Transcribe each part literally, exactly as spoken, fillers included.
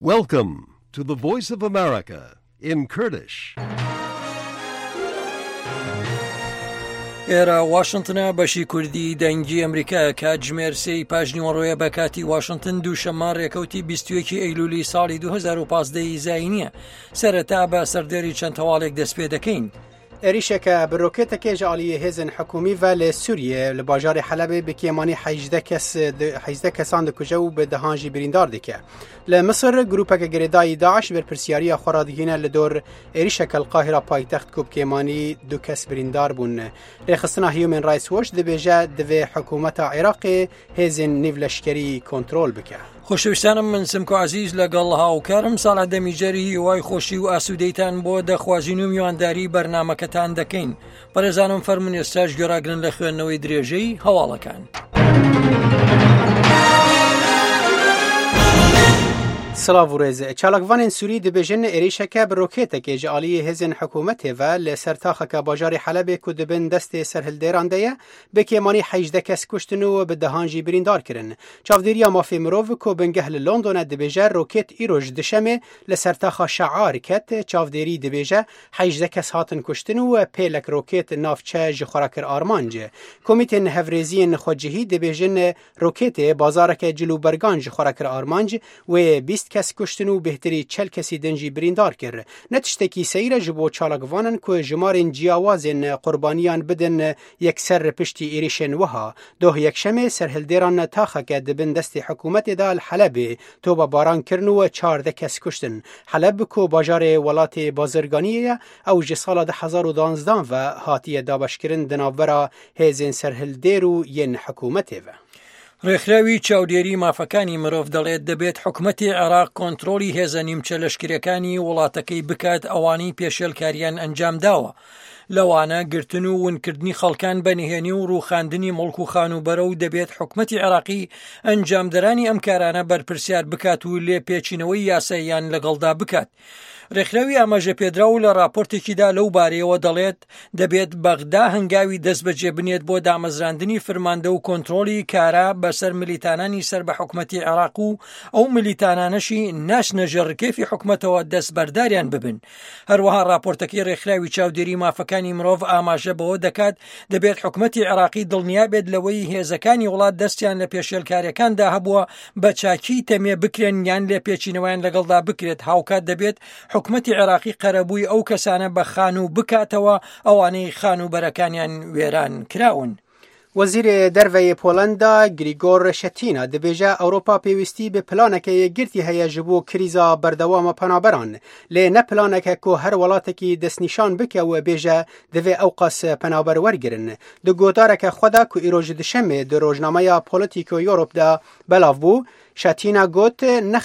Welcome to the Voice of America in Kurdish. ئێرە واشنتنە، بەشی کوردی دەنگی ئەمریکایە. کاتژمێر سێی پاژنیوەڕۆیە بە کاتی واشنتن، دووشەممە ڕێکەوتی بیست و یەکی ئەیلولی ساڵی دوو هەزار و پازدە زاینیە. سەرەتا بە سەردێری چەند هەواڵێک دەست پێ دەکەین. Êrişeke bi rokêtekê ji aliyê hêzên hikûmî ve li Sûriyê li bajarê Helebê bi kêmanî hejdeh kes hejdeh kesan dikuje û bi dehan jî birîndar dike. Li Misir grûpeke girêdayî Daîş berpirsyariya xwe radigihîne li dor êrişeke li Qahîra paytext ku bi kêmanî du kes birîndar bûn. Rêxistina Human Rights Watch dibêje divê hikûmeta Iraqê hêzên nîvleşkerî kontrol bike. خۆشەویستانم، من سمکۆ عزیز لەگەڵ هاوکارم ساڵح دەمیجەری هیوای خۆشی و ئاسوودەیتان بۆ دەخوازین و میوانداری بەرنامەکەتان دەکەین. بەڕێزانم، فەرموون ئێستاش گوێڕاگرن لە خوێندنەوەی درێژەی هەواڵەکان. Silav û rêz. Çalakvanên Sûrî dibêjin êrişeke bi rokêtekê ji aliyê hêzên hikûmetê ve li ser taxeke bajarê Helebê ku di bin destê serhildêran de ye bi kêmanî hejdeh kes kuştin û bi dehan jî birîndar kirin. Çavdêriya mafê mirov ku bingeh li Londone dibêje rokêt îro ji duşemê li ser taxa Şear ket. Çavdêrî dibêje hejdeh kes hatin kuştin û pêlek rokêt navçe ji xwe re kir armanc. Komîtên hevrêziyên xwecihî dibêjin rokêtê bazareke cil û bergan ji xwe re kir armanc, wê bîst kes kuştin û bêhtirî çel kesî din jî birîndar kir. Ne tiştekî seyr e ji bo çalakvanan ku jimarên ciyawazên qurbaniyan bidin yekser piştî êrişên wiha. Doh yekşemê serhildêran taxeke di bin destê hikûmetê de li Helebê topebaran kirin û çardeh kes kuştin. Heleb ku bajarê welatê bazirganiyê ye, ew ji sala du hezar û duwazdeh ve hatiye dabeşkirin di navbera hêzên serhildêr û yên hikûmetê ve. ڕێکخراوی چاودێری مافەکانی مرۆڤ دەڵێت دەبێت حکومەتی عێراق کۆنترۆڵی هێزە نیمچە لەشکرەکانی وڵاتەکەی بکات ئەوانەی پێشێلکاریان ئەنجام داوە، لەوانە گرتن و ونکردنی خەڵکان بە نهێنی و ڕووخاندنی مڵک و خانووبەرە و دەبێت حکومەتی عێراقی ئەنجامدەرانی ئەم کارانە بەرپرسیار بکات و لێپێچینەوەی یاساییان لەگەڵدا بکات. ڕێکخراوی ئاماژە پێدراو لە راپۆرتێکیدا لەو بارەیەوە دەڵێت دەبێت بەغدا هەنگاوی دەست بەجێ بنێت بۆ دامەزراندنی فرماندە و کۆنترۆڵی کارا بەسەر ملیتانانی سەر بە حکومەتی عێراق و ئەو ملیتانانەشی ناچنە ژێر ڕکێفی حکومەتەوە دەستبەرداریان ببن. هەروەها راپۆرتەکەی ڕێکخراوی چاودێری مافەکانی مرۆڤ ئاماژە بەوە دەکات دەبێت حکومەتی عێراقی دڵنیا بێت لەوەی هێزەکانی وڵات دەستیان لە پێشێلکاریەکاندا هەبووە بە چاکی تەمێ بکرێن یان لێپێچینەوەیان لەگەڵدا بکرێت. هاوکات دەبێت حکومەتی عێراقی قەرەبووی ئەو کەسانە بە خانوو بکاتەوە ئەوانەی خانووبەرەکانیان وێران کراون. وەزیرê Derve yê Polenda Grzegorz Schetyna dibêje Ewropa pêwîstî bi planeke yekgirtî heye ji bo krîza berdewama penaberan. Lê ne planeke ku her welatekî destnîşan bike û bêje divê ewqas penaber wergirin. Di gotareke xwe de ku îro ji duşemê di rojnameya Politico Europe de belav bû, Schetyna got ne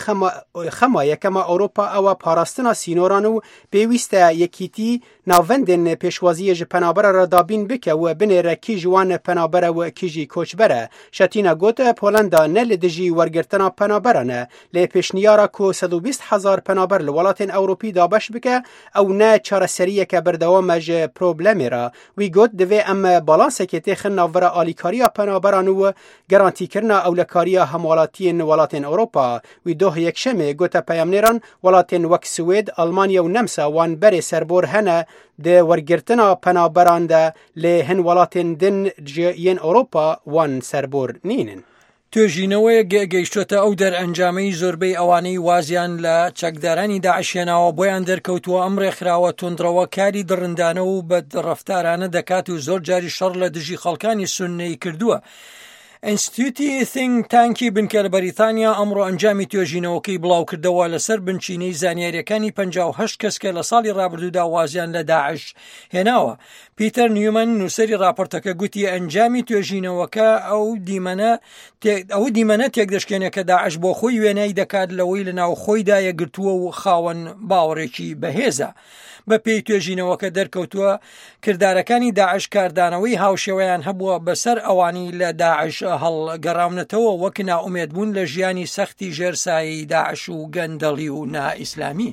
xema yekema Ewropa ew e parastina sînoran û pêwîst e yekîtî navendên pêşwaziyê ji penabera re dabîn bike û binêre kî ji wan penaber e û kî jî koçber e. Schetyna got Polenda ne li dijî wergirtina penaberan e, lê pêşniyara ku sed û bîst hezar penaber li welatên Ewropî dabeş bike ew ne çareseriyeke berdewam e ji problemê re. Wî got divê em balansekê têxin navbera alîkariya penaberan û garantîkirina ewlekariya hemwelatiyên welatên Ewropa. Wî doh yekşemê gote peyamnêran welatên wek Swêd, Almanya û Nemsa wan berê serbor hene di wergirtina penaberan de, lê hin welatên din ji yên Ewropa wan serbor nînin. توێژینەوەیەک گەیشتۆتە ئەو دەرئەنجامەی زۆربەی ئەوانەی وازیان لە چەکدارانی داعش هێناوە بۆیان دەرکەوتووە ئەم ڕێکخراوە توندڕەوە کاری دڕندانە و بەدڕەفتارانە دەکات و زۆر جاری شەڕ لە دژی خەڵکانی سوننەی کردووە. ئینستیتوتی think tank ی بنکە لە بەریتانیا ئەمڕۆ ئەنجامی توێژینەوەکەی بڵاوکردەوە لەسەر بنچینەی زانیاریەکانی پەنجا و هەشت کەس کە لە ساڵی ڕابردوودا وازیان لە داعش هێناوە. پیتەر نیومن، نووسەری راپۆرتەکە، گوتی ئەنجامی توێژینەوەکە ئەو دیمەنە ئەو دیمەنە تێکدەشکێنێ کە داعش بۆ خۆی وێنای دەکات لەوەی لە ناو خۆیدا یەکگرتووە و خاوەن باوەڕێکی بەهێزە. بە پێی توێژینەوەکە دەرکەوتووە کردارەکانی داعش کاردانەوەی هاوشێوەیان هەبووە بەسەر ئەوانی لە داعش هەڵگەڕاونەتەوە، وەک نائومێدبوون لە ژیانی سەختی ژێرسایی داعش و گەندەڵی و نائیسلامی.